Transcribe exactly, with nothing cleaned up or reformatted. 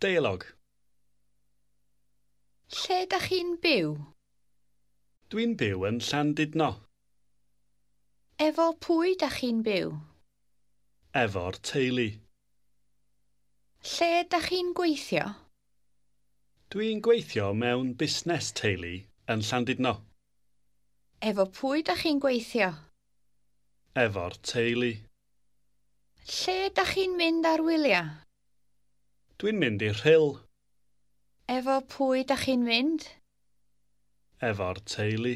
Deialog. Lle dach chi'n byw? Dwi'n byw yn Llandudno. Efo pwy dach chi'n byw? Efo'r teulu. Lle dach chi'n gweithio? Dwi'n gweithio mewn busnes teulu yn Llandudno. Efo pwy dach chi'n gweithio? Efo'r teulu. Lle dach chi'n mynd ar wyliau? Dwi'n mynd i'r Rhyl. Efo pwy dach chi'n mynd? Efo'r teulu.